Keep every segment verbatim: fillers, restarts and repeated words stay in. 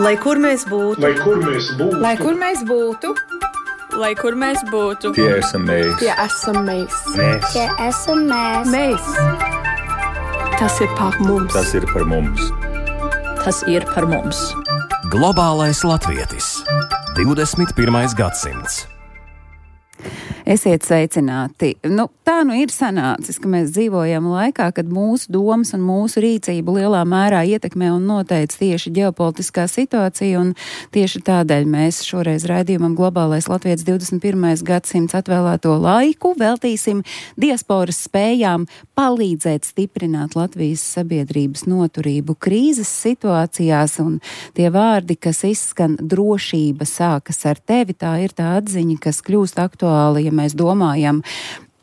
Lai kur mēs būtu, lai kur mēs būtu, lai kur mēs būtu, lai kur mēs būtu, tie esam mēs, tie esam mēs, mēs. Tie esam mēs. mēs. Tas ir par mums. Tas ir par mums. Tas ir par mums. Globālais latvietis. divdesmit pirmais gadsimts. Esiet sveicināti. Nu, tā nu ir sanācis, ka mēs dzīvojam laikā, kad mūsu domas un mūsu rīcību lielā mērā ietekmē un noteic tieši ģeopolitiskā situācija, un tieši tādēļ mēs šoreiz raidījumam Globālais latvietis divdesmit pirmais gadsimts atvēlēto laiku veltīsim diasporas spējām palīdzēt stiprināt Latvijas sabiedrības noturību krīzes situācijās, un tie vārdi, kas izskan drošība sākas ar tevi, tā ir tā atziņa, kas kļūst aktuāla, ja mēs domājam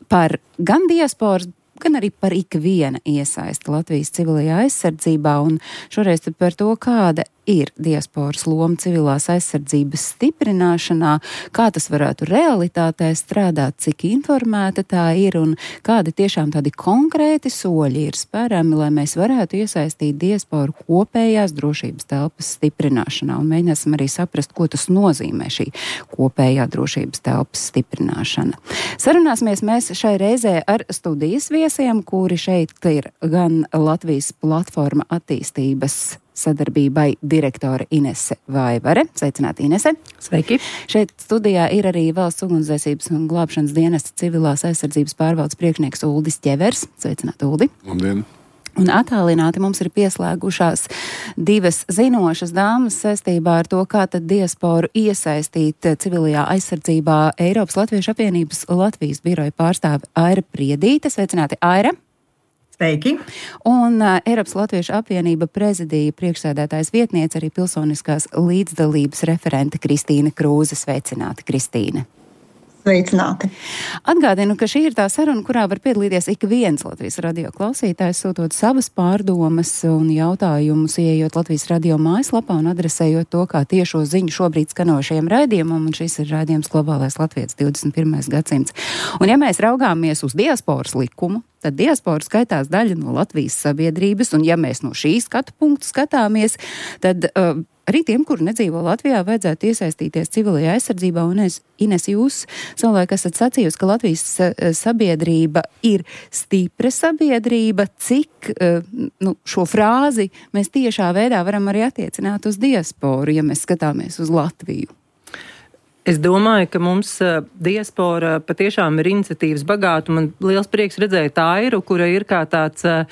par gan diasporas, gan arī par ikviena iesaisti Latvijas civilajā aizsardzībā, un šoreiz tad par to, kāda ir diasporas loma civilās aizsardzības stiprināšanā, kā tas varētu realitātē strādāt, cik informēta tā ir un kādi tiešām tādi konkrēti soļi ir spērami, lai mēs varētu iesaistīt diasporu kopējās drošības telpas stiprināšanā, un mēģināsim arī saprast, ko tas nozīmē šī kopējā drošības telpas stiprināšana. Sarunāsimies mēs šai reizē ar studijas viesiem, kuri šeit ir gan Latvijas platforma attīstības sadarbībai direktore Inese Vaivare. Sveicināti, Inese. Sveiki. Šeit studijā ir arī Valsts ugunsdzēsības un glābšanas dienesta civilās aizsardzības pārvaldes priekšnieks Uldis Ķevers. Sveicināti, Uldi. Labdien. Un attālināti mums ir pieslēgušās divas zinošas dāmas saistībā ar to, kā tad diasporu iesaistīt civilajā aizsardzībā. Eiropas Latviešu apvienības Latvijas biroja pārstāve Aira Priedīte. Sveicināti, Aira. Sveiki. Un uh, Eiropas Latviešu apvienība prezidija priekšsēdētājs vietniece, arī pilsoniskās līdzdalības referente Kristīne Krūze. Sveicināti, Kristīne. Sveicināti. Atgādinu, ka šī ir tā saruna, kurā var piedalīties ik viens Latvijas radio klausītājs, sūtot savas pārdomas un jautājumus, ieejot Latvijas radio mājaslapā un adresējot to kā tiešo ziņu šobrīd skanošajam raidījumam, un šis ir raidījums Globālais latvietis divdesmit pirmais gadsimts. Un ja mēs raugāmies uz diasporas likumu, tad diaspora skaitās daļa no Latvijas sabiedrības, un ja mēs no šī skatu punktu skatāmies, tad uh, arī tiem, kuri nedzīvo Latvijā, vajadzētu iesaistīties civilajā aizsardzībā, un es, Ines, jūs savulaik esat sacījusi, ka Latvijas sabiedrība ir stipra sabiedrība, cik uh, nu, šo frāzi mēs tiešā veidā varam arī attiecināt uz diasporu, ja mēs skatāmies uz Latviju. Es domāju, ka mums uh, diaspora patiešām ir iniciatīvas bagāta. Man liels prieks redzēt Airu, kura ir kā tāds uh,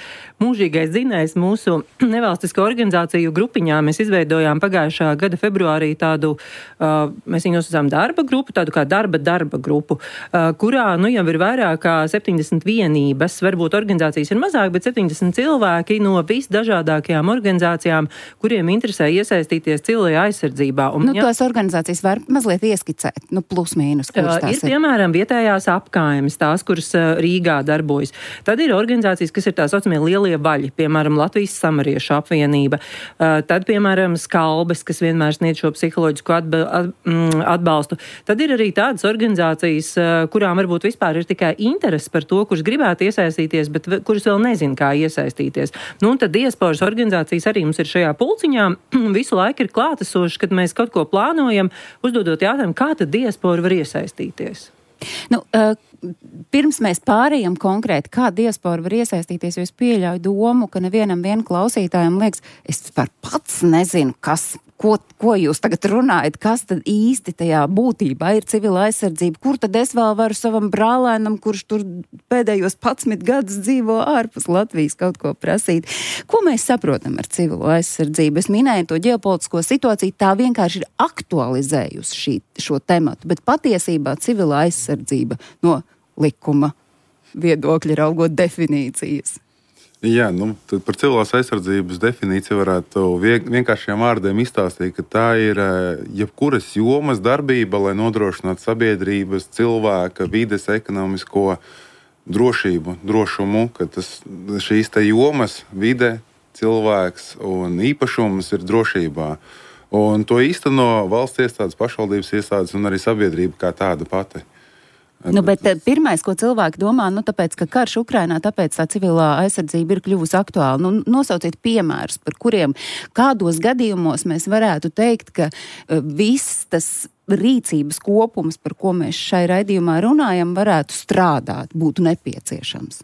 mūžīgais zinējs mūsu nevalstisko organizāciju grupiņā. Mēs izveidojām pagājušā gada februārī tādu, uh, mēs viņu nosaucām darba grupu, tādu kā darba darba grupu, uh, kurā nu jau ir vairāk kā septiņdesmit vienības. Varbūt organizācijas ir mazāk, bet septiņdesmit cilvēki no visdažādākajām organizācijām, kuriem interesē iesaistīties civilajā aizsardzībā. Un, nu, ja, tos organizācijas var mazliet ieskatīt. Nu, plus mīnus, kuras tās ir? Ir, piemēram, vietējās apkaimes, tās, kuras Rīgā darbojas. Tad ir organizācijas, kas ir tā saucamie lielie vaļi, piemēram, Latvijas samariešu apvienība. Tad, piemēram, Skalbes, kas vienmēr sniedz šo psiholoģisku atbalstu. Tad ir arī tādas organizācijas, kurām varbūt vispār ir tikai interesi par to, kurš gribētu iesaistīties, bet kurš vēl nezin, kā iesaistīties. Nu, un tad diasporas organizācijas arī mums ir šajā pulciņā. Visu laiku ir klātesoši, kad mēs kaut ko plānojam, uzdodot jautājumu, kā tad diaspora var iesaistīties? Nu, uh, pirms mēs pārējām konkrēti, kā diaspora var iesaistīties, jo es pieļauju domu, ka nevienam vien klausītājam liekas, es par pats nezinu, kas, ko, ko jūs tagad runājat, kas tad īsti tajā būtībā ir civila aizsardzība, kur tad es vēl varu savam brālēnam, kurš tur pēdējos padsmit gadus dzīvo ārpus Latvijas, kaut ko prasīt. Ko mēs saprotam ar civilo aizsardzību? Es minēju to ģeopolitisko situāciju, tā vienkārši ir aktualizējusi šī, šo tematu, bet patiesībā civila aizsardzība no likuma viedokļa raugot definīcijas. Jā, nu, tad par civilās aizsardzības definīciju varētu vienkāršiem vārdiem izstāstīt, ka tā ir jebkuras jomas darbība, lai nodrošinātu sabiedrības, cilvēka, vides, ekonomisko drošību, drošumu, ka tas, šīs te jomas, vide, cilvēks un īpašums ir drošībā. Un to īsteno valsts iestādes, pašvaldības iestādes un arī sabiedrība kā tāda pati. Nu, bet pirmais, ko cilvēki domā, nu, tāpēc, ka karš Ukrainā, tāpēc tā civilā aizsardzība ir kļuvusi aktuāla. Nu, nosauciet piemērus, par kuriem kādos gadījumos mēs varētu teikt, ka viss tas rīcības kopums, par ko mēs šai raidījumā runājam, varētu strādāt, būtu nepieciešams.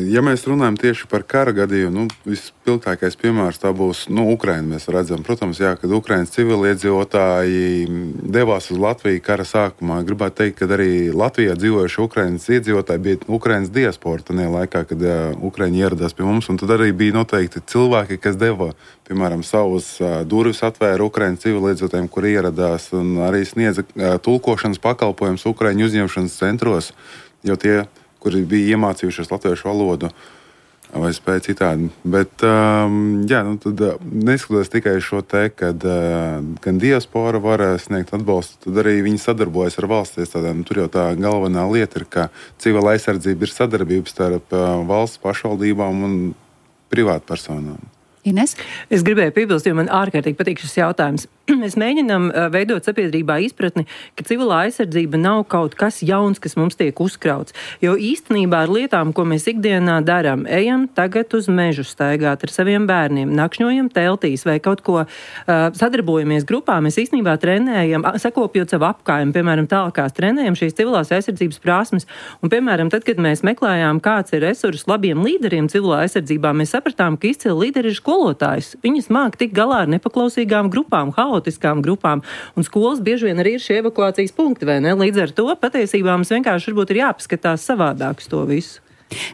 Ja mēs runājam tieši par kara gadījumu, nu, vispilgtākais piemērs tā būs, nu, Ukraina mēs redzam. Protams, jā, kad Ukrainas civiliedzīvotāji devās uz Latviju kara sākumā, gribētu teikt, ka arī Latvijā dzīvojuši Ukrainas iedzīvotāji bija Ukrainas diaspora tajā laikā, kad jā, Ukraiņi ieradās pie mums, un tad arī bija noteikti cilvēki, kas deva, piemēram, savus durvis atvēra Ukrainas civiliedzīvotājiem, kur ieradās, un arī sniedza tulkošanas pakalpojumus Ukraiņu uzņemšanas centros, jo tie, kuri bija iemācījušies latviešu valodu vai spēja citādi. Bet, um, jā, nu tad neskatoties tikai šo te, kad uh, gan diaspora var sniegt atbalstu, tad arī viņi sadarbojas ar valsts iestādēm. Tur jau tā galvenā lieta ir, ka civila aizsardzība ir sadarbības starp uh, valsts pašvaldībām un privātpersonām. Ines? Es gribēju piebilst, jo man ārkārtīgi patīk šis jautājums. Mēs mēģinām veidot sabiedrībā izpratni, ka civilā aizsardzība nav kaut kas jauns, kas mums tiek uzkrauts. Jo īstenībā ar lietām, ko mēs ikdienā darām, ejam tagad uz mežu staigāt ar saviem bērniem, nakšņojam teltīs vai kaut ko uh, sadarbojamies grupā, mēs īstenībā trenējam, sakopjot savu apkārtni, piemēram, tālākās trenējam šīs civilās aizsardzības prasmes. Un, piemēram, tad, kad mēs meklējām, kāds ir resurs labiem līderiem civilā aizsardzībā, mēs sapratām, ka izcili līderi ir skolotājs. Viņas māk tik galā ar nepaklausīgām grupām, haotiskām grupām, un skolas bieži vien arī ir šie evakuācijas punkti, vai ne? Līdz ar to patiesībā mums vienkārši varbūt ir jāpaskatās savādāk uz to visu.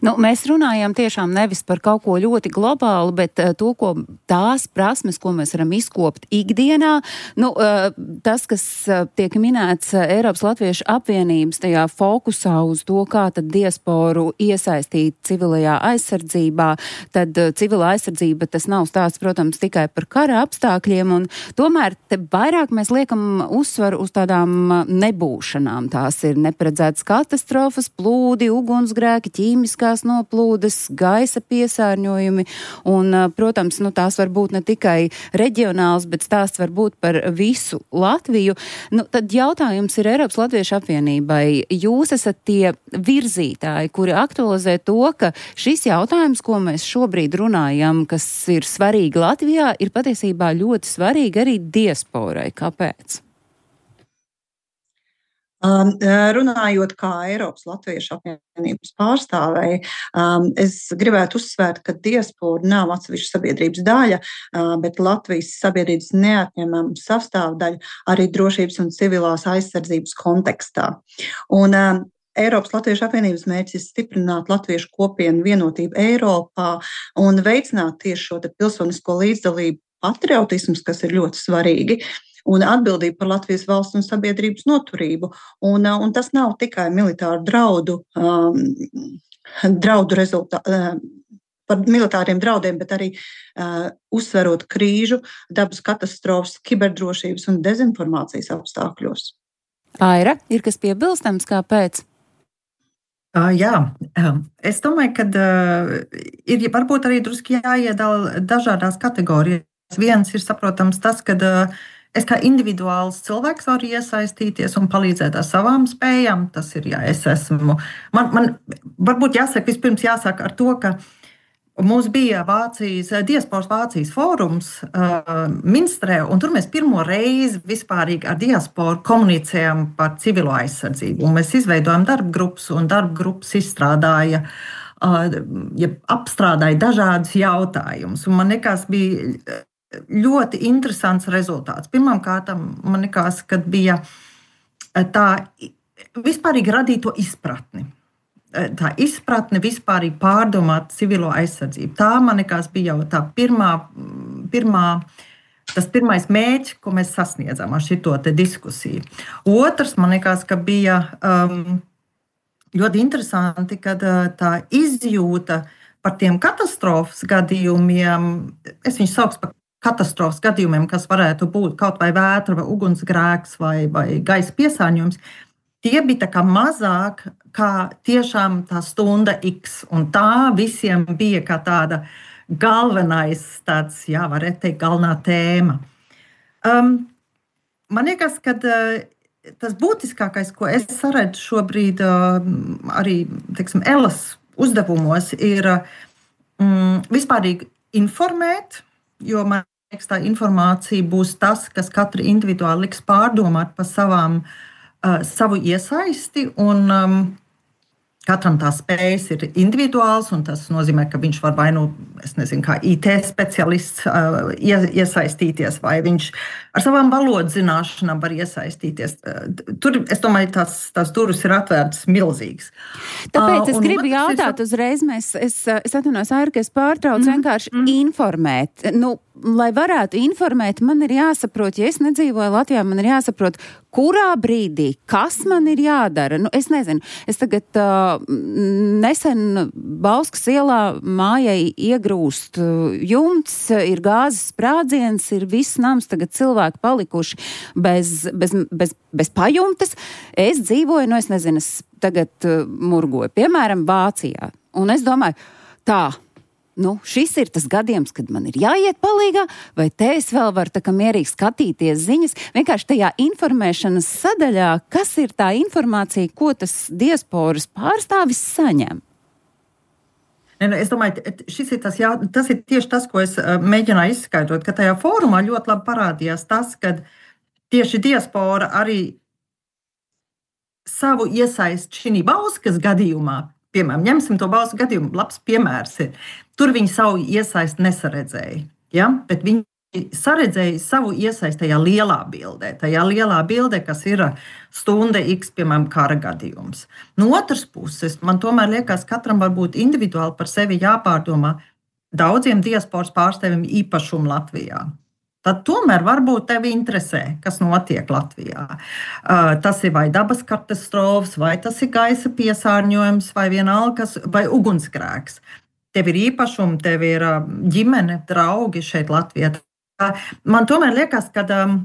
Nu, mēs runājam tiešām nevis par kaut ko ļoti globālu, bet uh, to, ko tās prasmes, ko mēs varam izkopt ikdienā. Nu, uh, tas, kas uh, tiek minēts uh, Eiropas Latviešu apvienības tajā fokusā uz to, kā tad diasporu iesaistīt civilajā aizsardzībā, tad uh, civilā aizsardzība tas nav stāsts, protams, tikai par kara apstākļiem, un tomēr te vairāk mēs liekam uzsvaru uz tādām nebūšanām. Tās ir neparedzētas katastrofas, plūdi, ugunsgrēki, ķīmi, ķīmiskās noplūdes, gaisa piesārņojumi, un, protams, nu, tās var būt ne tikai reģionāls, bet stāsts var būt par visu Latviju. Nu, tad jautājums ir Eiropas Latviešu apvienībai. Jūs esat tie virzītāji, kuri aktualizē to, ka šis jautājums, ko mēs šobrīd runājam, kas ir svarīgi Latvijā, ir patiesībā ļoti svarīgi arī diasporai. Kāpēc? Um, runājot kā Eiropas Latviešu apvienības pārstāvēji, um, es gribētu uzsvērt, ka diaspora nav atsevišķa sabiedrības daļa, uh, bet Latvijas sabiedrības neatņemama sastāvdaļa arī drošības un civilās aizsardzības kontekstā. Un, um, Eiropas Latviešu apvienības mērķis ir stiprināt latviešu kopienu vienotību Eiropā un veicināt tieši šo te pilsonisko līdzdalību, patriotismus, kas ir ļoti svarīgi, un atbildību par Latvijas valsts un sabiedrības noturību. Un, un tas nav tikai militāru draudu, um, draudu rezultātu, uh, par militāriem draudiem, bet arī uh, uzsverot krīžu, dabas katastrofas, kiberdrošības un dezinformācijas apstākļos. Aira, ir kas piebilstams, kāpēc? Uh, jā, es domāju, ka uh, ir varbūt arī druski jāiedala dažādās kategorijās. Viens ir saprotams tas, ka uh, es kā individuāls cilvēks varu iesaistīties un palīdzēt ar savām spējām. Tas ir, jā, es esmu. Man, man varbūt jāsaka, vispirms jāsaka ar to, ka mums bija Vācijas, diasporas Vācijas fórums uh, Minstrē, un tur mēs pirmo reizi vispārīgi ar diasporu komunicējam par civilo aizsardzību. Un mēs izveidojam darbgrupas, un darbgrupas izstrādāja, uh, ja apstrādāja dažādus jautājumus. Un man liekas, bija ļoti interesants rezultāts. Pirmkārt, man liekas, ka bija tā vispārīgi radīto izpratni. Tā izpratne vispārīgi pārdomāt civilo aizsardzību. Tā, man liekas, bija jau tā pirmā, pirmā, tas pirmais mērķis, ko mēs sasniedzām ar šito te diskusiju. Otrs, man liekas, ka bija um, ļoti interesanti, kad tā izjūta par tiem katastrofas gadījumiem, es viņus saucu par katastrofas gadījumiem, kas varētu būt kaut vai vētra, vai ugunsgrēks, vai, vai gaisa piesārņojums, tie bija tā kā mazāk kā tiešām tā stunda X. Un tā visiem bija kā tāda galvenais, tāds, jā, varētu teikt, galvenā tēma. Um, man liekas, ka uh, tas būtiskākais, ko es saredzu šobrīd arī, teiksim, Elas uzdevumos, ir mm, vispārīgi informēt, jo man liekas, tā informācija būs tas, kas katru individuāli liks pārdomāt par savām, uh, savu iesaisti, un um, katram tās spējas ir individuāls, un tas nozīmē, ka viņš var vai nu, es nezinu, kā I T speciālists uh, iesaistīties, vai viņš ar savām valodas zināšanām var iesaistīties. Uh, tur, es domāju, tās, tās durvis ir atvērtas milzīgas. Tāpēc es uh, gribu jautāt uzreiz, mēs, es, es atvainojos, Aira, ka es pārtraucu, mm. vienkārši mm. informēt. Nu, lai varētu informēt, man ir jāsaprot, ja es nedzīvoju Latvijā, man ir jāsaprot, kurā brīdī, kas man ir jādara. Nu, es nezinu, es tagad uh, nesen Bauskas ielā mājai iegrūst uh, jumts, ir gāzes sprādziens, ir viss nams, tagad cilvēki palikuši bez, bez, bez, bez pajumtes. Es dzīvoju, nu es nezinu, es tagad uh, murgoju, piemēram, Vācijā. Un es domāju, tā, nu, šis ir tas gadījums, kad man ir jāiet palīgā, vai te es vēl varu tā kā mierīgi skatīties ziņas, vienkārši tajā informēšanas sadaļā, kas ir tā informācija, ko tas diasporas pārstāvis saņem? Es domāju, šis ir tas, jā, tas ir tieši tas, ko es mēģināju izskaidrot, ka tajā fórumā ļoti labi parādījās tas, ka tieši diaspora arī savu iesaist šī Bauskas gadījumā, piemēram, ņemsim to Bauskas gadījumu, labs piemērs ir. Tur viņi savu iesaisti nesaredzēja, ja? Bet viņi saredzēja savu iesaisti tajā lielā bildē, tajā lielā bildē, kas ir stunda X, piemēram, kara gadījums. No otras puses, man tomēr liekas, katram var būt individuāli par sevi jāpārdomā daudziem diasporas pārstāvjiem īpašumu Latvijā. Tad tomēr varbūt tevi interesē, kas notiek Latvijā. Uh, tas ir vai dabas katastrofas, vai tas ir gaisa piesārņojums, vai vienalga, vai ugunsgrēks. Tev ir īpašumi, tev ir uh, ģimene, draugi šeit Latvijā. Uh, man tomēr liekas, ka um,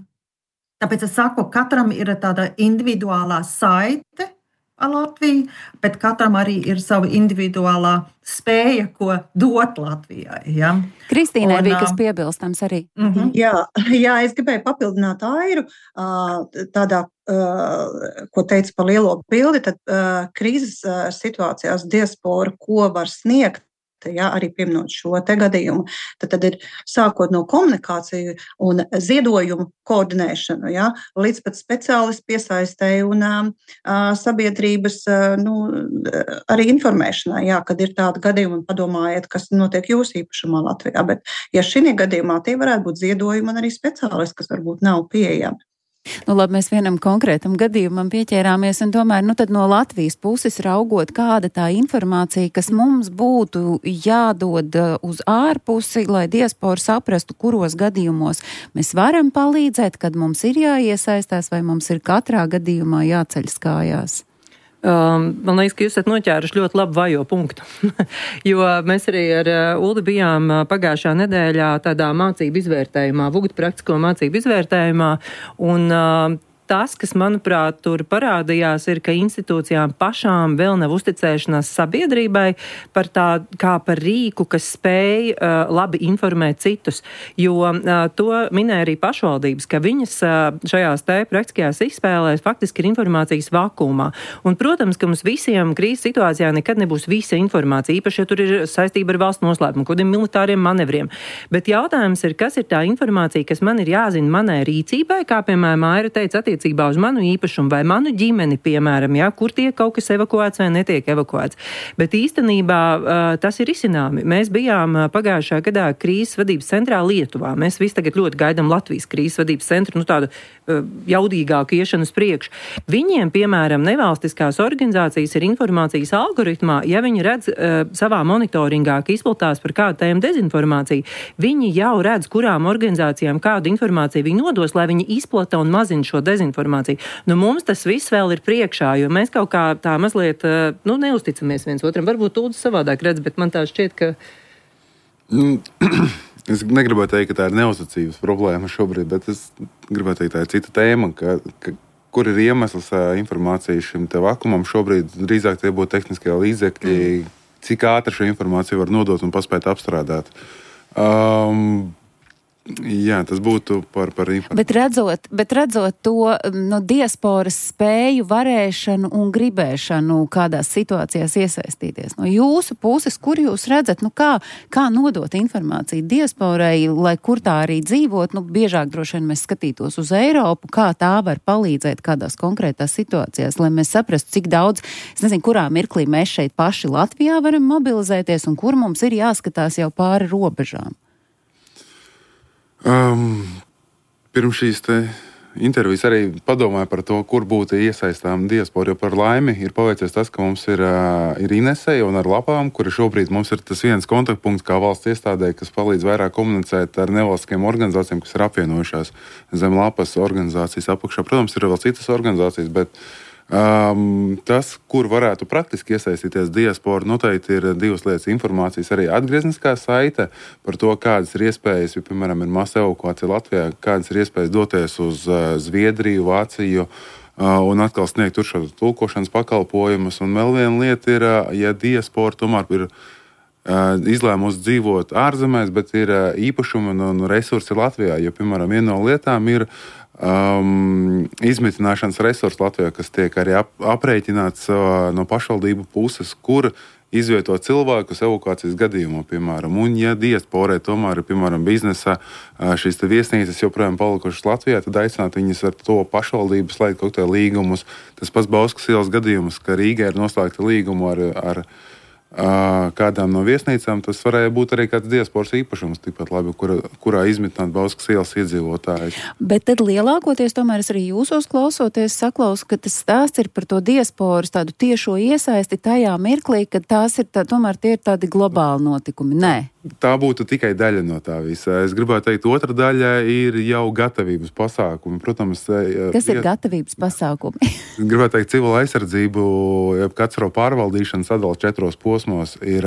tāpēc es saku, katram ir tāda individuālā saite ar Latviju, bet katram arī ir sava individuālā spēja, ko dot Latvijai. Ja? Kristīnai bija kas piebilstams arī. Uh-huh. Jā, jā, es gribēju papildināt Airu tādā, ko teica par lielo bildi, tad krīzes situācijās diaspora, ko var sniegt, ja, arī pieminot šo te gadījumu, tad, tad ir sākot no komunikāciju un ziedojumu koordinēšanu, ja, līdz pat speciālistu piesaistēju un uh, sabiedrības uh, nu, arī informēšanai, ja, kad ir tādi gadījumi un padomājiet, kas notiek jūsu īpašumā Latvijā. Bet, ja šī gadījumā tie varētu būt ziedojumi un arī speciālisti, kas varbūt nav pieejami. Nu, labi, mēs vienam konkrētam gadījumam pieķērāmies, un tomēr, nu, tad no Latvijas puses raugot, kāda tā informācija, kas mums būtu jādod uz ārpusi, lai diaspora saprastu, kuros gadījumos mēs varam palīdzēt, kad mums ir jāiesaistās, vai mums ir katrā gadījumā jāceļas kājās. Um, man liekas, ka jūs esat noķēruši ļoti labu vajo punktu, jo mēs arī ar uh, Uldi bijām uh, pagājušā nedēļā tādā mācību izvērtējumā, Vugat praktisko mācību izvērtējumā, un uh, tas, kas, manuprāt, tur parādījās, ir, ka institūcijām pašām vēl nav uzticēšanās sabiedrībai par tā, kā par rīku, kas spēj uh, labi informēt citus. Jo uh, to minēja arī pašvaldības, ka viņas uh, šajās te praktiskajās izspēlēs faktiski ir informācijas vakumā. Un, protams, ka mums visiem krīzes situācijā nekad nebūs visa informācija, īpaši, ja tur ir saistība ar valsts noslēpumu, kādiem militāriem manevriem. Bet jautājums ir, kas ir tā informācija, kas man ir jāzina manai rīcībai, kā, piemēram, Aira teica, attiecībā uz manu īpašumu vai manu ģimeni, piemēram, ja, kur tiek kaut kas evakuēts vai netiek evakuēts. Bet īstenībā uh, tas ir izcināmi. Mēs bijām uh, pagājušā gadā krīzes vadības centrā Lietuvā. Mēs visi tagad ļoti gaidām Latvijas krīzes vadības centru, nu tādu uh, jaudīgāku iešanu uz priekšu. Viņiem, piemēram, nevalstiskās organizācijas ir informācijas algoritmā, ja viņi redz uh, savā monitoringā, ka izplatās par kādu tēmu dezinformāciju, viņi jau redz, kurām organizācijām kādu informāciju viņi nodos, lai viņi izplata un mazina šo dezinformāciju. Informāciju. Nu, mums tas viss vēl ir priekšā, jo mēs kaut kā tā mazliet, nu, neusticamies viens otram. Varbūt Ulds savādāk redz, bet man tā šķiet, ka... Es negribētu teikt, ka tā ir neuzticības problēma šobrīd, bet es gribētu teikt, tā ir cita tēma, ka, ka, kur ir iemesls informācija šim te vakumam. Šobrīd drīzāk tie būtu tehniskie līdzekļi, mm. cik ātri šo informāciju var nodot un paspēt apstrādāt. Um, Jā, tas būtu par, par informāciju. Bet redzot, bet redzot to no diasporas spēju, varēšanu un gribēšanu kādās situācijās iesaistīties. No jūsu puses, kur jūs redzat, nu kā, kā nodot informāciju diasporai, lai kur tā arī dzīvot, nu biežāk droši vien mēs skatītos uz Eiropu, kā tā var palīdzēt kādās konkrētās situācijās, lai mēs saprastu, cik daudz, es nezinu, kurā mirklī mēs šeit paši Latvijā varam mobilizēties un kur mums ir jāskatās jau pāri robežām. Um, pirms šīs te intervijas arī padomāju par to, kur būtu iesaistām diaspora, jo par laimi ir paveicies tas, ka mums ir, uh, ir Inesei un ar lapām, kuri šobrīd mums ir tas viens kontaktpunkts kā valsts iestādē, kas palīdz vairāk komunicēt ar nevalstiskajām organizācijām, kas ir apvienojušās zem lapas organizācijas apakšā. Protams, ir vēl citas organizācijas, bet Um, tas, kur varētu praktiski iesaistīties diaspora, noteikti ir divas lietas. Informācijas arī atgriezniskā saite par to, kādas ir iespējas, ja, piemēram, ir masa evakuācija Latvijā, kādas ir iespējas doties uz uh, Zviedriju, Vāciju uh, un atkal sniegt tur šo tulkošanas pakalpojumus. Un vēl viena lieta ir, uh, ja diaspora tomēr ir uh, izlēmusi dzīvot ārzemēs, bet ir uh, īpašumi un, un resursi Latvijā, jo, piemēram, viena no lietām ir Um, izmitināšanas resursi Latvijā, kas tiek arī ap, aprēķināts uh, no pašvaldību puses, kur izvietot cilvēkus evakuācijas gadījumā, piemēram. Un, ja diasporai tomēr ir, piemēram, biznesa uh, šīs te viesnīcas joprojām palikušas Latvijā, tad aicināt viņas ar to pašvaldību slēgt kaut kā līgumus. Tas pats Bauskas ielas gadījums, ka Rīgā ir noslēgta līgumu ar, ar uh, kādām no viesnīcām, tas varēja būt arī kāds diasporas īpašums, tikpat labi, kura, kurā izmitināt Bauskas ielas iedzīvotājus. Bet tad lielākoties tomēr es arī jūsos klausoties saklausu, ka tas stāsts ir par to diasporas tādu tiešo iesaisti tajā mirklī, kad tās ir tā, tomēr tie ir tādi globāli notikumi. Nē. Tā būtu tikai daļa no tā visa. Es gribētu teikt, otra daļa ir jau gatavības pasākumi. Protams, kas ir gatavības pasākumi? Gribētu teikt, civila aizsardzību, katastrofu pārvaldīšana sadala četros posmos ir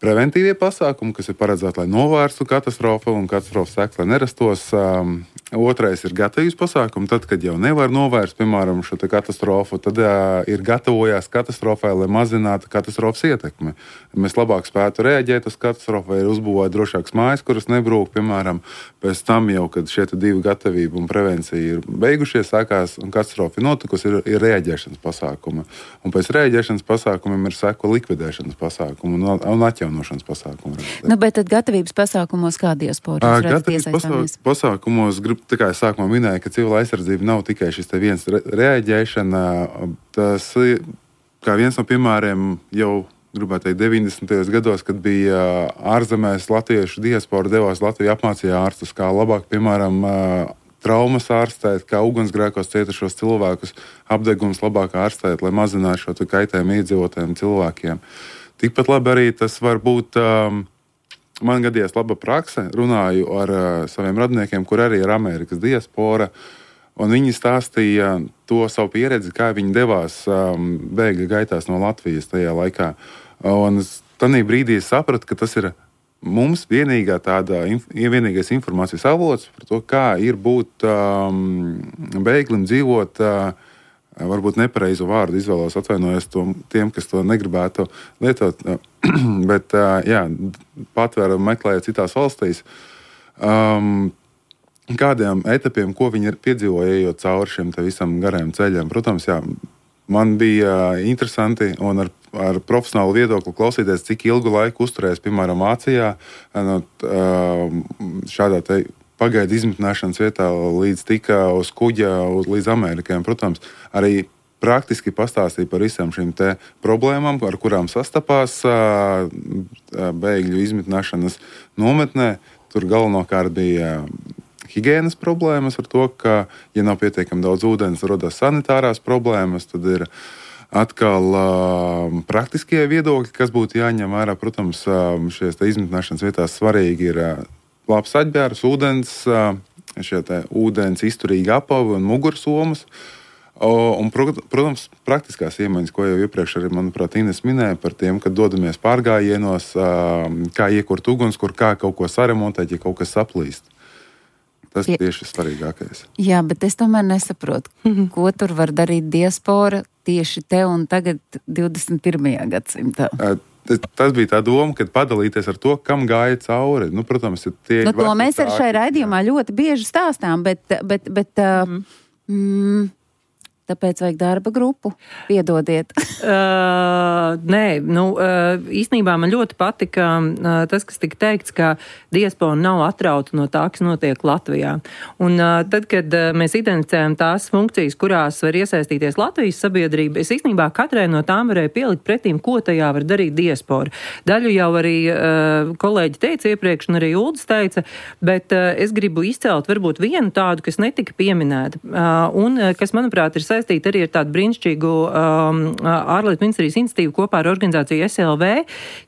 preventīvie pasākumi, kas ir paredzēti, lai novērstu katastrofu un katastrofas sekas, lai nerastos. Um, otrais ir gatavības pasākumi. Tad, kad jau nevar novērst, piemēram, šo te katastrofu, tad uh, ir gatavojās katastrofai, lai mazinātu katastrofas ietekmi. Mēs labāk spētu reaģēt uz katastrofu, vai ir uzbūvēt drošākas mājas, kuras nebrūk, piemēram. Pēc tam jau, kad šie divi gatavība un prevencija ir beigušies, sākās un katastrofa ir notikusi, ir, ir reaģēšanas pasākumi. Un pēc reaģēšanas pasākumiem ir seko likvidēšanas pasākumi un, un atjaunošanas pasākumi. Nu, bet tad gatavības pasākumos kā diaspora? Gatavības pasā, pasākumos, grib, tā kā es sākumā minēju, ka civila aizsardzība nav tikai šis te viens re, reaģēšana. Tas, kā viens no piemēriem jau gribētu teikt, deviņdesmitajos gados, kad bija ārzemēs latviešu diaspora devās Latviju, apmācīja ārstus, kā labāk, piemēram, traumas ārstēt, kā ugunsgrēkos cietušos cilvēkus, apdegums labāk ārstēt, lai mazinātu šo kaitējumu iedzīvotājiem cilvēkiem. Tikpat labi arī tas var būt, um, man gadījās laba prakse, runāju ar uh, saviem radiniekiem, kur arī ir Amerikas diaspora, un viņi stāstīja to savu pieredzi, kā viņi devās um, bēgļu gaitās no Latvijas tajā laikā. Un tanī brīdī es sapratu, ka tas ir mums vienīgā tāda, vienīgais informācijas avots par to, kā ir būt um, bēglim dzīvot, uh, varbūt nepareizu vārdu izvēlos, atvainojos to, tiem, kas to negribētu lietot, bet, uh, jā, patvērumu meklējot citās valstīs. Um, kādiem etapiem, ko viņi ir piedzīvoja, ejot cauri šiem te visam garajam ceļam. Protams, jā, man bija interesanti un ar, ar profesionālu viedokli klausīties, cik ilgu laiku uzturēs, piemēram, Vācijā, šādā te pagaidu izmitināšanas vietā līdz tika uz kuģa uz, līdz Amerikai. Protams, arī praktiski pastāstīja par visām šīm te problēmām, ar kurām sastapās bēgļu izmitināšanas nometnē. Tur galvenokārt bija higienas problēmas ar to, ka, ja nav pietiekami daudz ūdens, rodas sanitārās problēmas, tad ir atkal uh, praktiskie viedokļi, kas būtu jāņem vērā. Protams, uh, šies te izmitināšanas vietās svarīgi ir uh, labs atģērbs, ūdens, uh, šie te ūdens izturīgi apavi un mugursomas. Uh, un, protams, praktiskās iemaņas, ko jau iepriekš arī, manuprāt, Ines minēja par tiem, kad dodamies pārgājienos, uh, kā iekurt ugunskur, kā kaut ko saremontēt, ja kaut kas saplīst. Tas ir tieši svarīgākais. Jā, bet es tomēr nesaprotu, ko tur var darīt diaspora tieši te un tagad divdesmit pirmajā gadsimtā. tas bija tā doma, kad padalīties ar to, kam gāja cauri. Nu, protams, tie nu, to mēs arī šai raidījumā ļoti bieži stāstām, bet, bet, bet mm. Mm, tāpēc vajag darba grupu. Piedodiet. uh, nē, nu, uh, īstenībā man ļoti patika uh, tas, kas tika teikts, ka diaspora nav atrauta no tā, kas notiek Latvijā. Un uh, tad, kad uh, mēs identificējam tās funkcijas, kurās var iesaistīties Latvijas sabiedrība, es īstenībā katrai no tām varēju pielikt pretīm, ko tajā var darīt diaspora. Daļu jau arī uh, kolēģi teica iepriekš, un arī Uldis teica, bet uh, es gribu izcelt varbūt vienu tādu, kas netika pieminēta, uh, un uh, kas, manuprāt, ir saistīta arī ar tādu brīnišķīgu um, ārlietu ministrijas iniciatīvu kopā ar organizāciju S L V,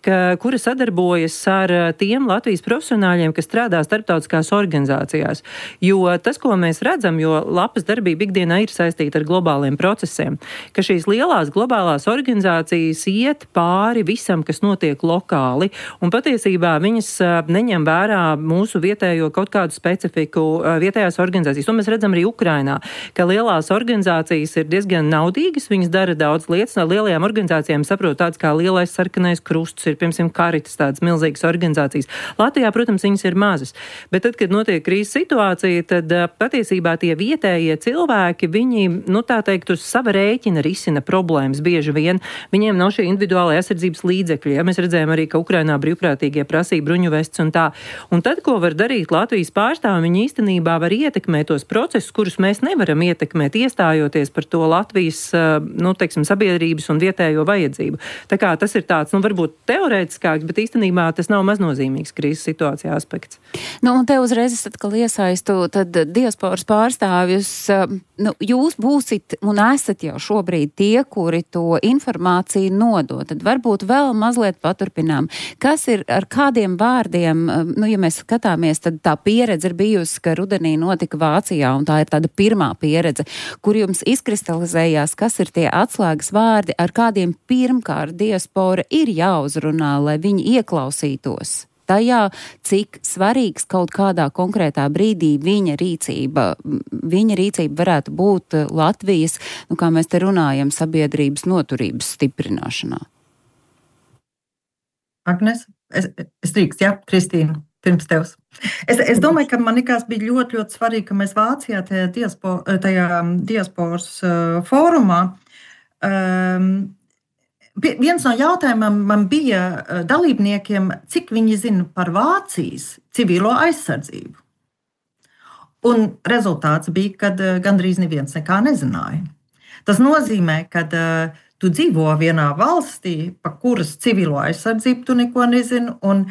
ka, kura sadarbojas ar tiem Latvijas profesionāļiem, kas strādā starptautiskās organizācijās. Jo tas, ko mēs redzam, jo lapas darbība ikdienā ir saistīta ar globāliem procesiem, ka šīs lielās globālās organizācijas iet pāri visam, kas notiek lokāli, un patiesībā viņas neņem vērā mūsu vietējo kaut kādu specifiku vietējās organizācijas. To mēs redzam arī Ukrainā, ka lielās organizācijas ir diezgan naudīgas, viņas dara daudz lietas. No lielajām organizācijām saprot tāds kā Lielais sarkanais krusts, ir, piemēram, Karitas, tādas milzīgas organizācijas. Latvijā, protams, viņas ir mazas. Bet tad, kad notiek krīzes situācija, tad patiesībā tie vietējie cilvēki, viņi, nu tā teikt, uz sava rēķina risina problēmas bieži vien. Viņiem nav šie individuālai aizsardzības līdzekļi. Ja? Mēs redzējām arī, ka Ukrainā brīvprātīgie prasīja bruņu vestes un tā. Un tad, ko var darīt Latvijas pārstāvji, viņi īstenībā var ietekmēt tos procesus, kurus mēs nevaram ietekmēt, iestājoties par to Latvijas, nu, teiksim, sabiedrības un vietējo vajadzību. Tā kā tas ir tāds, nu, varbūt teorētiskāks, bet īstenībā tas nav maznozīmīgs krīzes situācijā aspekts. Nu, un te uzreiz es atkal iesaistu tad diasporas pārstāvjus. Nu, jūs būsit un esat jau šobrīd tie, kuri to informāciju nodod. Tad varbūt vēl mazliet paturpinām. Kas ir ar kādiem vārdiem, nu, ja mēs skatāmies, tad tā pieredze ir bijusi, ka rudenī notika Vācijā, un tā ir tāda pirmā pieredze, kur jums izkristalizējās, kas ir tie atslēgas vārdi, ar kādiem pirmkārt diaspora ir jāuzrunā, lai viņi ieklausītos tajā, cik svarīgs kaut kādā konkrētā brīdī viņa rīcība, viņa rīcība varētu būt Latvijas, nu kā mēs te runājam, sabiedrības noturības stiprināšanā. Agnes, es, es drīkst, jā, Kristīna, pirms tevs. Es, es domāju, ka man likās bija ļoti, ļoti svarīgi, ka mēs Vācijā tajā, diaspo, tajā diasporas uh, fórumā um, viens no jautājumiem man bija dalībniekiem, cik viņi zina par Vācijas civilo aizsardzību. Un rezultāts bija, ka gandrīz neviens nekā nezināja. Tas nozīmē, ka uh, tu dzīvo vienā valstī, pa kuras civilo aizsardzību tu neko nezini, un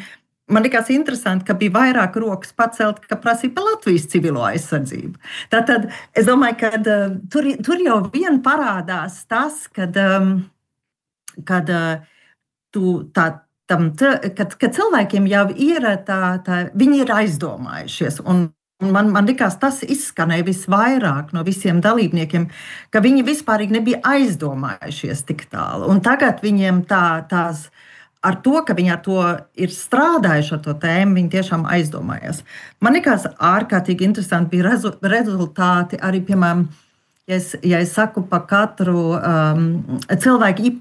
man likās interesanti, ka bija vairāk rokas pacelt, ka prasīja par Latvijas civilo aizsardzību. Tātad es domāju, ka uh, tur, tur jau vien parādās tas, kad um, kad, tu, tā, tam, kad, kad cilvēkiem jau ir tā, tā, viņi ir aizdomājušies. Un man, man likās, tas izskanēja visvairāk no visiem dalībniekiem, ka viņi vispārīgi nebija aizdomājušies tik tālu. Un tagad viņiem tā, tās, ar to, ka viņi ar to ir strādājuši ar to tēmu, viņi tiešām aizdomājas. Man likās ārkārtīgi interesanti bija rezu, rezultāti arī, piemēram, ja es, ja es saku pa katru um, cilvēku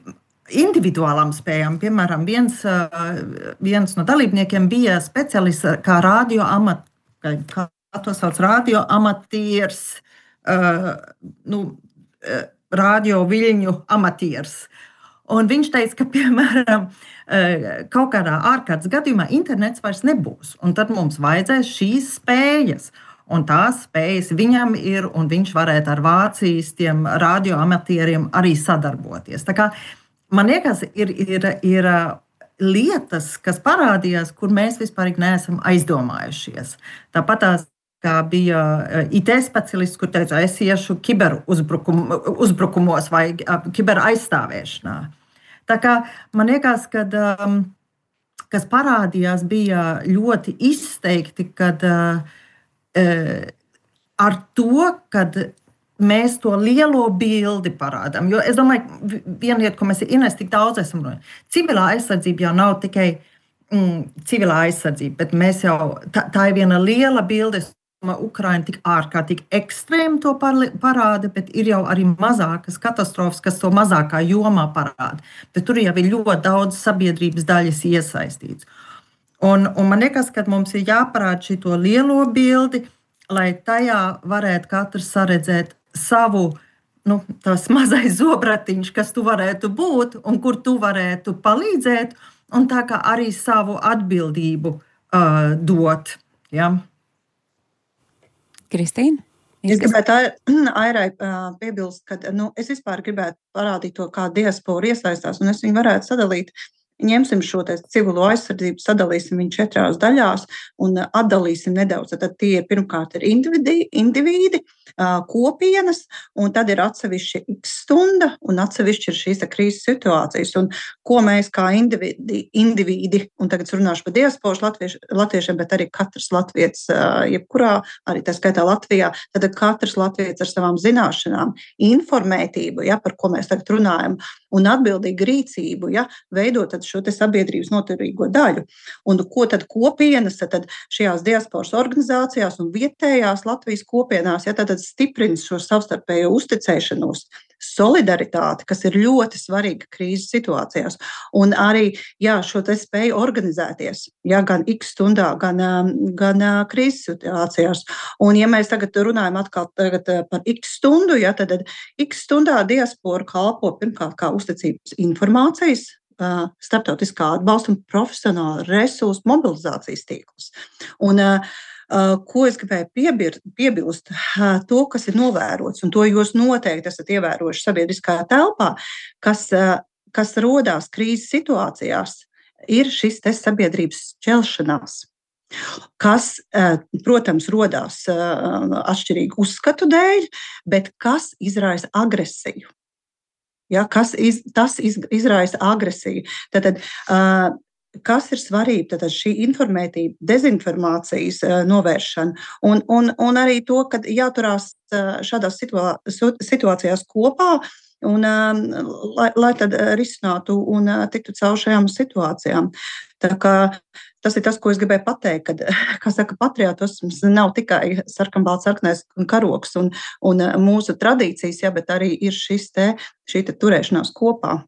individuālām spējām. Piemēram, viens, viens no dalībniekiem bija speciālists kā radio amat, kā to sauc, radio amatieris, uh, nu, radio viļņu amatieris. Un viņš teica, ka, piemēram, kaut kādā ārkārtas gadījumā internets vairs nebūs. Un tad mums vajadzēs šīs spējas. Un tās spējas viņam ir, un viņš varētu ar Vācijas tiem radio amatieriem arī sadarboties. Tā kā man liekas, ir, ir, ir lietas, kas parādījās, kur mēs vispār neesam aizdomājušies. Tāpat tās, kā bija I T speciālists, kur teica, es iešu kiberuzbrukum, uzbrukumos vai kiberaizstāvēšanā. Tā kā man liekas, kad, um, kas parādījās, bija ļoti izteikti, kad uh, ar to, kad mēs to lielo bildi parādām. Jo es domāju, viena lieta, ko mēs Ines tik daudz esam runājuši, civilā aizsardzība jau nav tikai mm, civilā aizsardzība, bet mēs jau, tā, tā ir viena liela bilde. Es Ukraina tik ārkārtīgi ekstrēmi to parāda, bet ir jau arī mazākas katastrofas, kas to mazākā jomā parāda. Bet tur jau ir ļoti daudz sabiedrības daļas iesaistīts. Un, un man liekas, ka mums ir jāparāda šito lielo bildi, lai tajā varētu katrs saredzēt savu, nu, tās mazais zobratiņš, kas tu varētu būt un kur tu varētu palīdzēt, un tā kā arī savu atbildību uh, dot. Ja? Kristīna? Es gribētu Airai piebilst, ka nu, es vispār gribētu parādīt to, kā diaspora iesaistās, un es viņu varētu sadalīt. Ņemsim šo civilo aizsardzību, sadalīsim viņu četrās daļās un atdalīsim nedaudz. Tad tie ir pirmkārt ir individi, individi kopienas, un tad ir atsevišķi x stunda, un atsevišķi ir šīs krīzes situācijas. Un ko mēs kā individi, individi un tagad runāšu par diasporas latvieši, latviešiem, bet arī katrs latvietis, jebkurā, arī tā skaitā Latvijā, tad katrs latvietis ar savām zināšanām, informētību, ja, par ko mēs tagad runājam, un atbildīgu rīcību, ja, veidot šo te sabiedrības noturīgo daļu. Un ko tad kopienas, tad šajās diasporas organizācijās un vietējās Latvijas kopienās, ja, tad stiprina šo savstarpējo uzticēšanos, solidaritāti, kas ir ļoti svarīga krīzes situācijās. Un arī, jā, šo te spēju organizēties, jā, gan x stundā, gan, gan krīzes situācijās. Un ja mēs tagad runājam atkal tagad par x stundu, jā, tad x stundā diaspora kalpo pirmkārt kā uzticības informācijas, starptautiskā atbalsta un profesionāla resursu mobilizācijas tīklus. Un ko es gribēju piebir, piebilst, to, kas ir novērots, un to jūs noteikti esat ievērojuši sabiedriskā telpā, kas, kas rodās krīzes situācijās, ir šis te sabiedrības šķelšanās, kas, protams, rodās atšķirīgu uzskatu dēļ, bet kas izraisa agresiju. Ja, kas iz, tas iz, izraisa agresiju. Tātad, uh, kas ir svarīgi? Tātad šī informētība, dezinformācijas uh, novēršana un, un, un arī to, ka jāturās uh, šādās situā, situācijās kopā un um, lai, lai tad risinātu un uh, tiktu caur šajām situācijām. Tā kā tas ir tas, ko es gribēju pateikt, kad, kā saka, patriotisms nav tikai sarkanbalts, sarkanais karoks un, un mūsu tradīcijas, ja, bet arī ir šis te, šī te turēšanās kopā.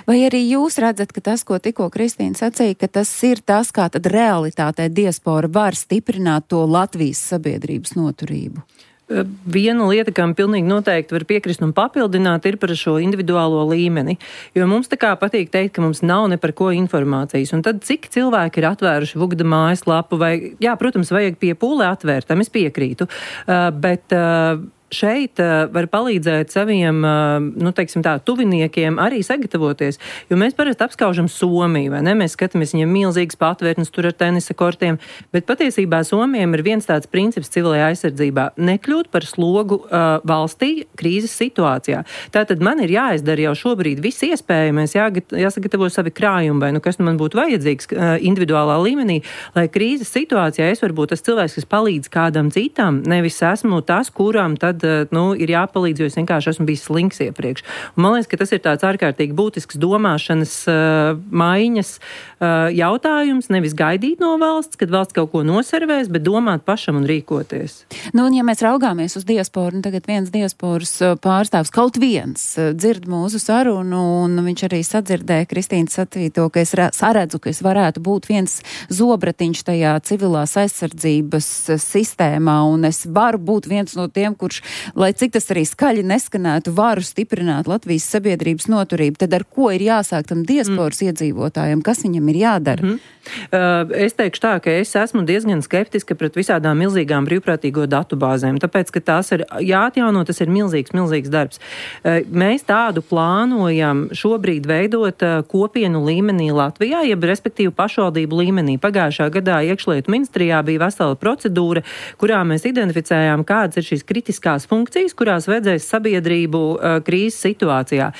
Vai arī jūs redzat, ka tas, ko tikko Kristīna sacīja, ka tas ir tas, kā tad realitātē diaspora var stiprināt to Latvijas sabiedrības noturību? Viena lieta, kam pilnīgi noteikti var piekrist un papildināt, ir par šo individuālo līmeni. Jo mums tā kā patīk teikt, ka mums nav ne par ko informācijas. Un tad cik cilvēki ir atvēruši Vugda mājaslapu vai, jā, protams, vajag pie pūlē atvērt, tam es piekrītu. Uh, bet uh, šeit uh, var palīdzēt saviem, uh, nu, teiksim tā, tuviniekiem arī sagatavoties, jo mēs parasti apskaužam Somiju, vai ne? Mēs skatāmies viņiem milzīgas patvērtnes tur ar tenisa kortiem, bet patiesībā Somijam ir viens tāds princips civilajā aizsardzībā - nekļūt par slogu uh, valstī krīzes situācijā. Tātad man ir jāizdara jau šobrīd viss iespējamais, jāgat, jāsagatavo savi krājumi, vai nu kas nu man būtu vajadzīgs uh, individuālā līmenī, lai krīzes situācijā es varu būt tas cilvēks, kas palīdz kādam citam, nevis esmu tas, kuram tad nu, ir jāpalīdz, jo es vienkārši esmu bijis slinks iepriekš. Un man liekas, ka tas ir tāds ārkārtīgi būtisks domāšanas uh, maiņas uh, jautājums, nevis gaidīt no valsts, kad valsts kaut ko noservēs, bet domāt pašam un rīkoties. Nu, un ja mēs raugāmies uz diasporu, un tagad viens diasporas pārstāvs, kaut viens, dzird mūsu sarunu, un viņš arī sadzirdēja Kristīnas sacīto, ka es saredzu, ka es varētu būt viens zobratiņš tajā civilās aizsardzības sistēmā, un es varu būt viens no tiem, kurš, lai cik tas arī skaļi neskanētu, varu stiprināt Latvijas sabiedrības noturību. Tad ar ko ir jāsāk tam diasporas mm. iedzīvotājiem? Kas viņam ir jādara? Mm-hmm. Uh, es teikšu tā, ka es esmu diezgan skeptiska pret visādām milzīgām brīvprātīgo datubāzēm, tāpēc, ka tās ir jāatjauno, tas ir milzīgs, milzīgs darbs. Uh, mēs tādu plānojam šobrīd veidot uh, kopienu līmenī Latvijā, jeb respektīvi pašvaldību līmenī. Pagājušā gadā iekšlietu ministrijā bija vesela procedūra, kurā mēs identificējām, kādas ir šīs kritiskās tās funkcijas, kurās vajadzēs sabiedrību uh, krīzes situācijā.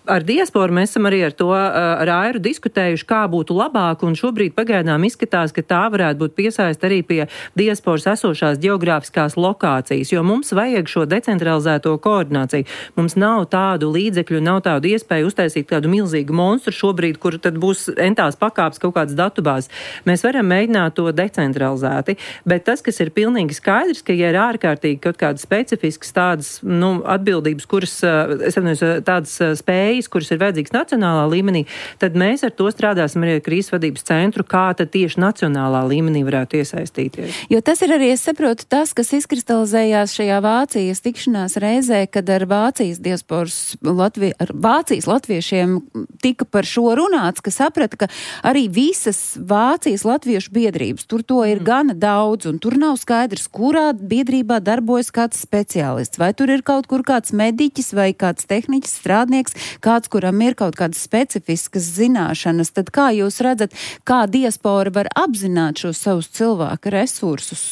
Ar diasporu mēs esam arī ar to uh, ar Airu diskutējuši, kā būtu labāk, un šobrīd pagaidām izskatās, ka tā varētu būt piesaist arī pie diasporas esošās geogrāfiskās lokācijas, jo mums vajag šo decentralizēto koordināciju. Mums nav tādu līdzekļu, nav tādu iespēju uztaisīt kādu milzīgu monstru šobrīd, kur tad būs entās pakāps kaut kāds datubāzes. Mēs varam mēģināt to decentralizēti, bet tas, kas ir pilnīgi skaidrs, ka ja ir ārkārtīgi kaut kādas specifiskas tādas, nu, atbildības, kuras, es atceros, tādas spējas, kuras ir vajadzīgas nacionālā līmenī, tad mēs ar to strādāsim arī ar krīzes vadības centru, kā tad tieši nacionālā līmenī varētu iesaistīties. Jo tas ir arī, es saprotu, tas, kas izkristalizējās šajā Vācijas tikšanās reizē, kad ar Vācijas diasporas, Latvi, ar Vācijas latviešiem tika par šo runāts, ka saprata, ka arī visas Vācijas latviešu biedrības, tur to ir mm. gana daudz, un tur nav skaidrs, kurā biedrībā darbojas kāds speciālists, vai tur ir kaut kur kāds mediķis vai kāds tehniķis strādnieks, kāds, kuram ir kaut kādas specifiskas zināšanas, tad kā jūs redzat, kā diaspora var apzināt šos savus cilvēku resursus,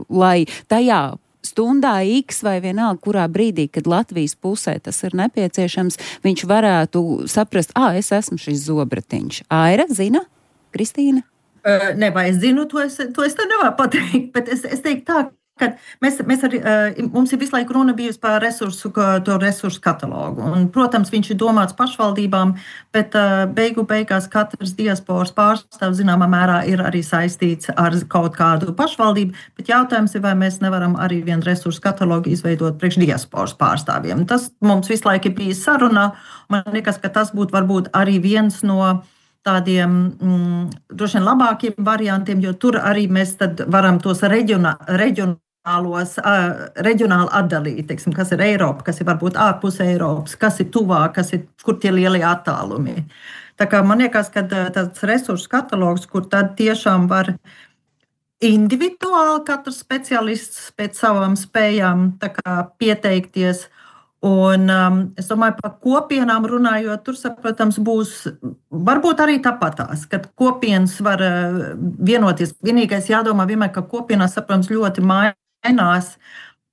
lai tajā stundā X vai vienalga, kurā brīdī, kad Latvijas pusē tas ir nepieciešams, viņš varētu saprast, ā, es esmu šis zobratiņš. Aira, zina? Kristīna? Uh, ne, vai es zinu, to es, to es tā nevaru pateikt, bet es, es teiktu tā, ka mēs, mēs arī, uh, mums ir visu laiku runa bijusi par resursu, to resursu katalogu. Un, protams, viņš ir domāts pašvaldībām, bet uh, beigu beigās katrs diasporas pārstāvs zināmā mērā ir arī saistīts ar kaut kādu pašvaldību, bet jautājums ir, vai mēs nevaram arī vienu resursu katalogu izveidot priekš diasporas pārstāvjiem. Tas mums visu laiku ir bijis sarunā. Man liekas, ka tas būtu varbūt arī viens no tādiem mm, droši vien labākiem variantiem, jo tur arī mēs tad varam tos reģionā, reģionālos, uh, reģionāli atdalīt, teiksim, kas ir Eiropa, kas ir varbūt ārpus Eiropas, kas ir tuvāk, kas ir, kur tie lielie attālumi. Tā kā man liekas, ka tāds resursu katalogs, kur tad tiešām var individuāli katrs speciālists pēc savām spējām tā kā pieteikties. Un um, es domāju, par kopienām runājot, tur, protams, būs varbūt arī tāpatās, kad kopienas var uh, vienoties. Vienīgais jādomā vienmēr, ka kopienās, protams, ļoti mainās,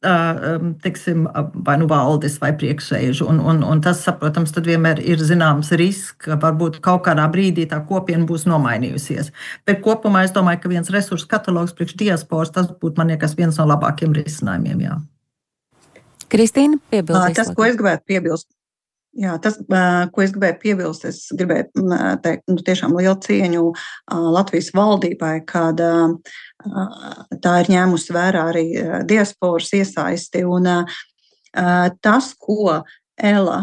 uh, teiksim, vai nu valdes vai priekšsēžu. Un, un, un tas, protams, tad vienmēr ir zināms risks, ka varbūt kaut kādā brīdī tā kopiena būs nomainījusies. Bet kopumā es domāju, ka viens resursu katalogs priekš diasporas, tas būtu, man liekas, viens no labākiem risinājumiem, jā. Kristīna, piebildīs. Tas, ko es gribētu piebilst, jā, tas, ko es gribēju piebilst, es gribēju teikt, nu, tiešām lielu cieņu Latvijas valdībai, kad tā ir ņēmusi vērā arī diasporas iesaisti. Un tas, ko Ela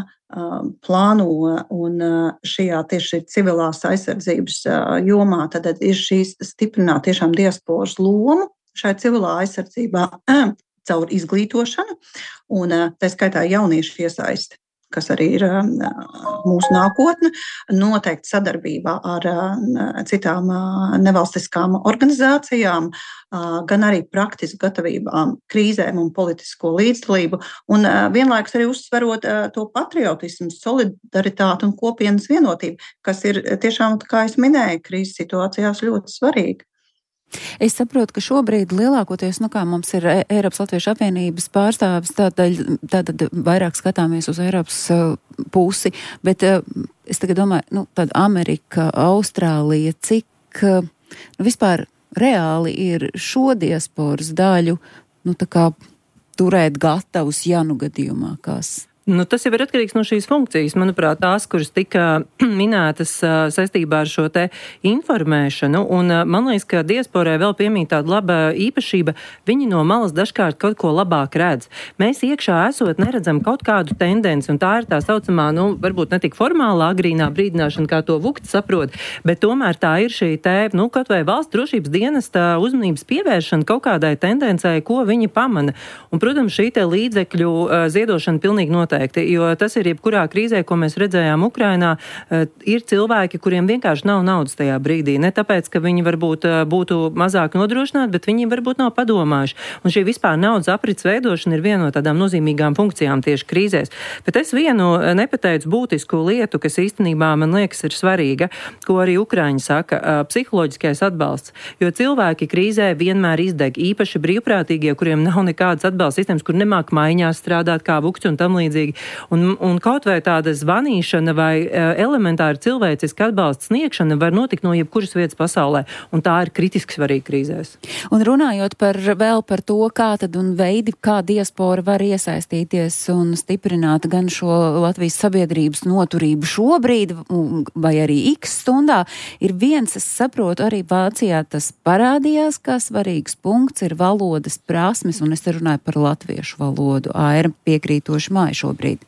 plāno un šajā tieši civilās aizsardzības jomā, tad ir šīs stiprināt tiešām diasporas lomu šai civilā aizsardzībā caur izglītošanu, un tā skaitā jauniešu iesaisti, kas arī ir mūsu nākotne, noteikti sadarbībā ar citām nevalstiskām organizācijām, gan arī praktisku gatavībām krīzēm un politisko līdzdalību, un vienlaikus arī uzsverot to patriotismu, solidaritāti un kopienas vienotību, kas ir tiešām, kā es minēju, krīzes situācijās ļoti svarīgi. Es saprotu, ka šobrīd lielākoties, nu kā mums ir Eiropas Latviešu apvienības pārstāvis, tātad, tātad vairāk skatāmies uz Eiropas uh, pusi, bet uh, es tagad domāju, nu tāda Amerika, Austrālija, cik uh, nu, vispār reāli ir šo diasporas daļu, nu tā kā turēt gatavus, ja nu gadījumā kās. Nu, tas jau ir atkarīgs no šīs funkcijas. Manuprāt, tās, kuras tika minētas uh, saistībā ar šo te informēšanu, un uh, man liekas, ka diasporai vēl piemīt tāda laba īpašība, viņi no malas dažkārt kaut ko labāk redz. Mēs iekšā esot neredzam kaut kādu tendenci, un tā ir tā saucamā, nu, varbūt ne tik formālā agrīnā brīdināšana, kā to Vukts saprot, bet tomēr tā ir šī te, nu, kaut vai valsts drošības dienesta uzmanības pievēršana kaut kādai tendencei, ko viņi pamana. Un, protams, šī te līdzekļu uh, ziedošana pilnīgi noteikti noteikti, jo tas ir jebkurā krīzē, ko mēs redzējām Ukrainā, ir cilvēki, kuriem vienkārši nav naudas tajā brīdī. Ne tāpēc, ka viņi varbūt būtu mazāk nodrošināti, bet viņi varbūt nav padomājuši. Un šī vispār naudas aprits veidošana ir viena no tādām nozīmīgām funkcijām tieši krīzēs. Bet es vienu nepateicu būtisku lietu, kas īstenībā man liekas ir svarīga, ko arī Ukraiņi saka, psiholoģiskais atbalsts. Jo cilvēki krīzē vienmēr izdeg, īpaši brīvprātīgie, kuriem nav nekādas atbalsta sistēmas, kur nemāk maiņās strādāt kā vukti un tam līdzīgi. Un, un kaut vai tāda zvanīšana vai elementāra cilvēciska atbalsta sniegšana var notikt no jebkuras vietas pasaulē, un tā ir kritiski svarīga krīzēs. Un runājot par vēl par to, kā tad un veidi, kā diaspora var iesaistīties un stiprināt gan šo Latvijas sabiedrības noturību šobrīd, vai arī X stundā, ir viens, es saprotu, arī Vācijā tas parādījās, kā svarīgs punkts ir valodas prasmes, un es te runāju par latviešu valodu. Aira piekrītoši māja šobrīd.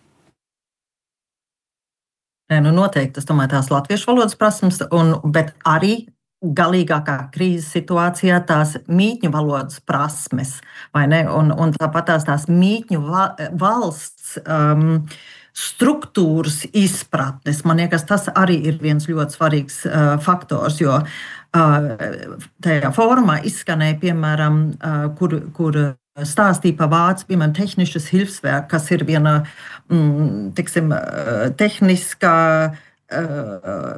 Nē, nu noteikti, es domāju, tās latviešu valodas prasmes, un, bet arī galīgākā krīzes situācijā tās mītņu valodas prasmes, vai ne? Un, un tāpat tās, tās mītņu va, valsts um, struktūras izpratnes. Man liekas, tas arī ir viens ļoti svarīgs uh, faktors, jo uh, tajā fórumā izskanēja, piemēram, uh, kur, kur stāstīja par vācu, piemēram, tehnisches Hilfswerk, kas ir viena, mm, tiksim, tehniskā uh,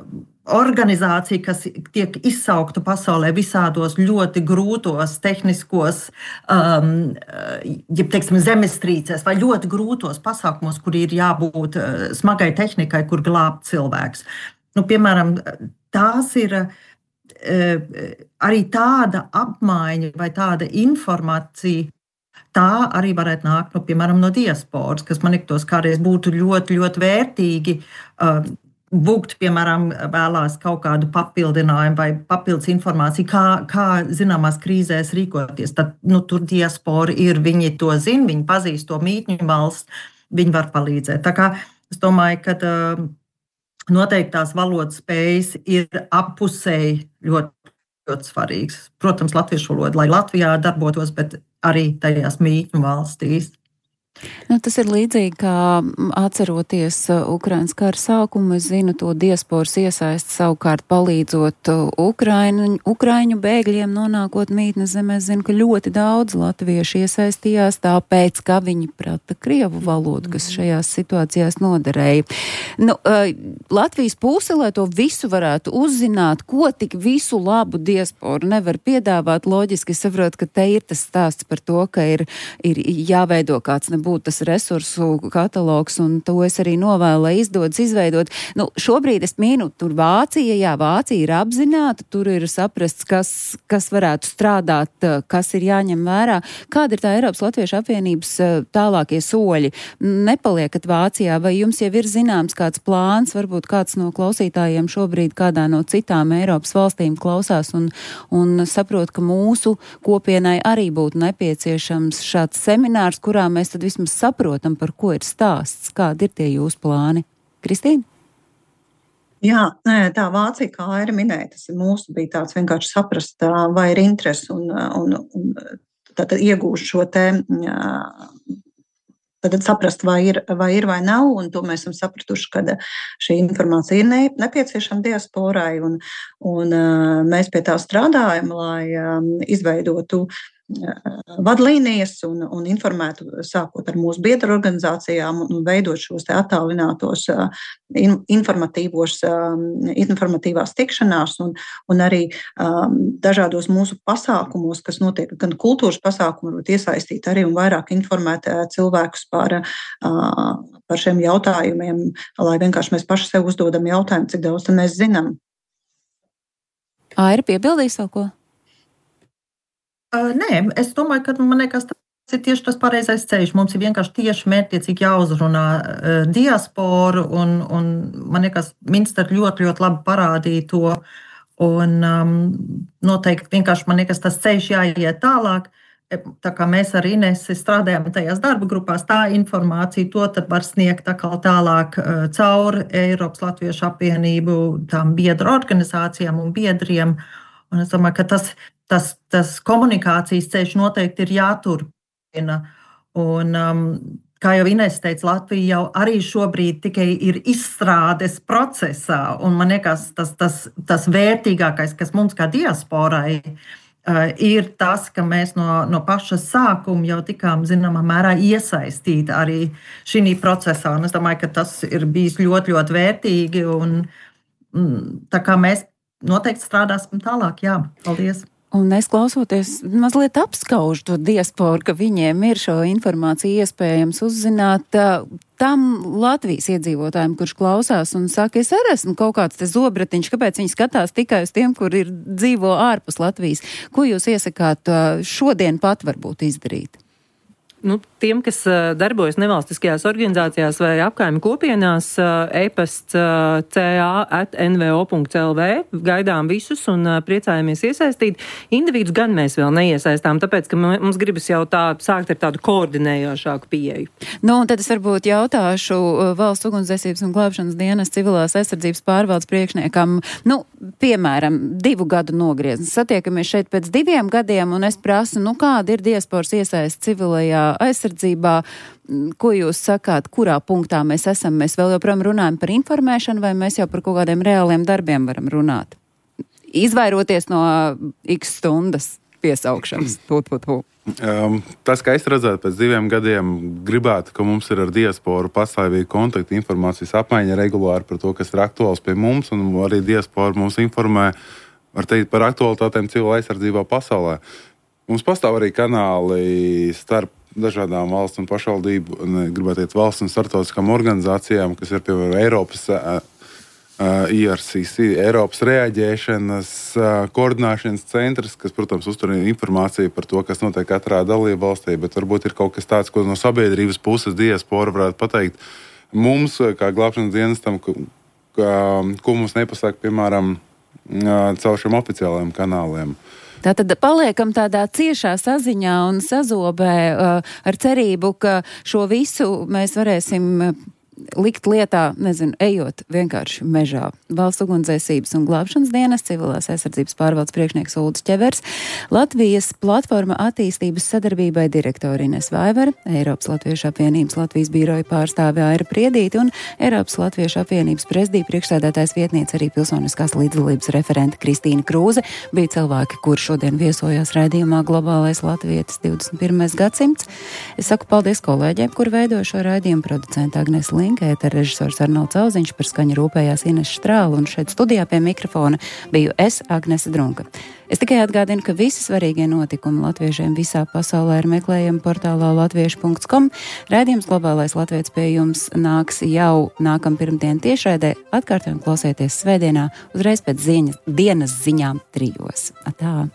organizācija, kas tiek izsaukta pasaulē visādos ļoti grūtos tehniskos, um, ja, teiksim, zemestrīcēs vai ļoti grūtos pasākumos, kur ir jābūt uh, smagai tehnikai, kur glābt cilvēks. Nu, piemēram, tās ir uh, arī tāda apmaiņa vai tāda informācija, tā arī varētu nākt, nu, piemēram, no diasporas, kas man liktos kādreiz būtu ļoti, ļoti vērtīgi. Uh, Būgt, piemēram, vēlās kaut kādu papildinājumu vai papildus informāciju, kā, kā zināmās krīzēs rīkoties. Tad, nu, tur diaspora ir, viņi to zina, viņi pazīst to mītņu valsts, viņi var palīdzēt. Tā kā es domāju, ka uh, noteikti tās valodas spējas ir appusēji ļoti, ļoti svarīgas. Protams, latviešu valoda, lai Latvijā darbotos, bet arī tajās mītņu valstīs. Nu, tas ir līdzīgi, kā atceroties Ukrainas kara sākumu, es zinu to diasporas iesaisti savukārt palīdzot Ukraiņu, Ukraiņu bēgļiem nonākot mītnes zemē. Es zinu, ka ļoti daudz latvieši iesaistījās tāpēc, ka viņi prata krievu valodu, kas šajās situācijās noderēja. Nu, Latvijas puse, lai to visu varētu uzzināt, ko tik visu labu diasporu nevar piedāvāt, loģiski saprot, ka te ir tas stāsts par to, ka ir, ir jāveido kāds nebūtu tas resursu katalogs, un to es arī novēlu, lai izdodas izveidot. Nu, šobrīd es mīnu, tur Vācija, jā, Vācija ir apzināta, tur ir saprasts, kas, kas varētu strādāt, kas ir jāņem vērā. Kāda ir tā Eiropas Latviešu apvienības tālākie soļi? Nepaliekat Vācijā, vai jums jau ir zināms kāds plāns, varbūt kāds no klausītājiem šobrīd kādā no citām Eiropas valstīm klausās un, un saprot, ka mūsu kopienai arī būtu nepieciešams šāds seminārs, kurā mēs tad vismaz saprotam, par ko ir stāsts, kādi ir tie jūsu plāni. Kristīna? Jā, tā Vācija, kā Aira minēja, tas ir mūsu bija tāds vienkārši saprast, vai ir interesi un, un, un tātad iegūst šo te, tātad saprast, vai ir, vai ir vai nav, un to mēs esam sapratuši, ka šī informācija ir ne, nepieciešama diasporai, un, un mēs pie tā strādājam, lai izveidotu vadlīnijas un, un informētu sākot ar mūsu biedru organizācijām un veidot šos te attālinātos in, informatīvos, informatīvās tikšanās un, un arī um, dažādos mūsu pasākumos, kas notiek gan kultūras pasākumu, varbūt iesaistīt arī un vairāk informēt cilvēkus par, uh, par šiem jautājumiem, lai vienkārši mēs paši sev uzdodam jautājumu, cik daudz mēs zinām. Aira, piebildīs vēl ko? Uh, nē, es domāju, ka man liekas, tas ir tieši tas pareizais ceļš. Mums ir vienkārši tieši mērķtiecīgi jāuzrunā uh, diasporu, un, un man liekas, Minster ļoti, ļoti labi parādīja to, un um, noteikti vienkārši man liekas, tas ceļš jāiet tālāk. Tā kā mēs ar Inesi strādājam tajās darba grupās, tā informācija to tad var sniegt atkal tālāk uh, caur Eiropas Latviešu apvienību, tām biedru organizācijām un biedriem. Un es domāju, ka tas Tas, tas komunikācijas ceļš noteikti ir jāturpina. Un, um, kā jau Ines teica, Latvija jau arī šobrīd tikai ir izstrādes procesā, un man liekas, tas, tas, tas vērtīgākais, kas mums kā diasporai ir tas, ka mēs no, no paša sākuma jau tikām zināmā mērā iesaistīti arī šī procesā, un es domāju, ka tas ir bijis ļoti, ļoti vērtīgi, un tā kā mēs noteikti strādāsim tālāk, jā, paldies. Un es klausoties, mazliet apskaužu to diasporu, ka viņiem ir šo informāciju iespējams uzzināt. Tam Latvijas iedzīvotājiem, kurš klausās un saka, es arī esmu kaut kāds te zobratiņš, kāpēc viņi skatās tikai uz tiem, kur ir dzīvo ārpus Latvijas. Ko jūs iesakāt šodien pat varbūt izdarīt? Nu, tiem, kas uh, darbojas nevalstiskajās organizācijās vai apkaimju kopienās, uh, e-pasts uh, ca at n v o punkt l v, gaidām visus un uh, priecājamies iesaistīt. Individus gan mēs vēl neiesaistām, tāpēc, ka mums gribas jau tā sākt ar tādu koordinējošāku pieeju. Nu, un tad es varbūt jautāšu uh, Valsts ugunsdzēsības un glābšanas dienas civilās aizsardzības pārvaldes priekšniekam, nu, piemēram, divu gadu nogrieznis. Satiekamies šeit pēc diviem gadiem, un es prasu, nu, kāda ir diasporas iesaist civilajā aizsardzībā, ko jūs sakāt, kurā punktā mēs esam? Mēs vēl joprojām runājam par informēšanu, vai mēs jau par kaut kādiem reāliem darbiem varam runāt? Izvairoties no x stundas piesaukšanas. Put, put, put. Um, tas, kā es redzētu, pēc diviem gadiem gribētu, ka mums ir ar diasporu pastāvīgi kontakti, informācijas apmaiņa regulāri par to, kas ir aktuāls pie mums, un arī diaspora mums informē var teikt, par aktualitātēm civila aizsardzībā pasaulē. Mums pastāv arī kanāli starp dažādām valsts un pašvaldību, gribētu teikt, valsts un starptautiskām organizācijām, kas ir, piemēram, Eiropas uh, uh, I R C C, Eiropas reaģēšanas uh, koordināšanas centrs, kas, protams, uztur informāciju par to, kas notiek katrā dalību valstī, bet varbūt ir kaut kas tāds, ko no sabiedrības puses diaspora varētu pateikt mums, kā glābšanas dienestam, ka, ka, ko mums nepasaka, piemēram, uh, caur šiem oficiālajiem kanāliem. Tātad paliekam tādā ciešā saziņā un sazobē uh, ar cerību, ka šo visu mēs varēsim likt lietā, nezinu, ejot vienkārši mežā. Valsts ugunsdzēsības un glābšanas dienas civilās aizsardzības pārvaldes priekšnieks Uldis Ķevers, Latvijas platforma attīstības sadarbībai direktori Ines Vaivara, Eiropas Latviešu apvienības Latvijas biroja pārstāve Aira Priedīte un Eiropas Latviešu apvienības prezidija priekšsēdētājs vietniece arī pilsoniskās līdzdalības referente Kristīna Krūze bija cilvēki, kur šodien viesojās raidījumā Globālais latvietis divdesmit pirmais gadsimts. Es saku paldies kolēģiem, kur veidoja šo raidījumu, producenta Agnes Linkēta, režisors Arnolds Auziņš, par skaņu rūpējās Ines Štrāla, un šeit studijā pie mikrofona biju es, Agnese Drunka. Es tikai atgādinu, ka visi svarīgie notikumi latviešiem visā pasaulē ir meklējami portālā latviešu punkts com. Raidījums Globālais latvietis pie jums nāks jau nākam pirmdien tiešraidē. Atkārtojam klausieties svētdienā uzreiz pēc ziņas, dienas ziņām trijos. Atā!